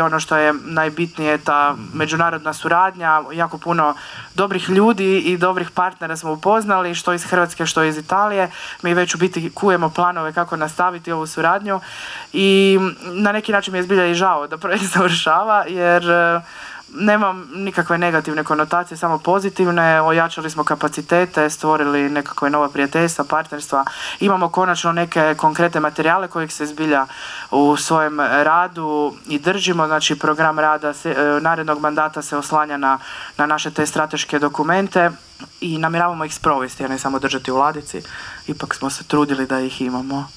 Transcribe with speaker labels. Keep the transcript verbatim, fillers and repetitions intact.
Speaker 1: i ono što je najbitnije, ta međunarodna suradnja, jako puno dobrih ljudi i dobrih partnera smo upoznali, što iz Hrvatske, što iz Italije. Mi već u biti kujemo planove kako nastaviti ovu suradnju i na neki način mi je zbilja i žao da projekt završava, jer nemam nikakve negativne konotacije, samo pozitivne. Ojačali smo kapacitete, stvorili nekakve nova prijateljstva, partnerstva. Imamo konačno neke konkretne materijale kojih se zbilja u svojem radu i držimo. Znači, program rada se, narednog mandata se oslanja na, na naše te strateške dokumente i namjeravamo ih sprovesti, a ne samo držati u ladici. Ipak smo se trudili da ih imamo.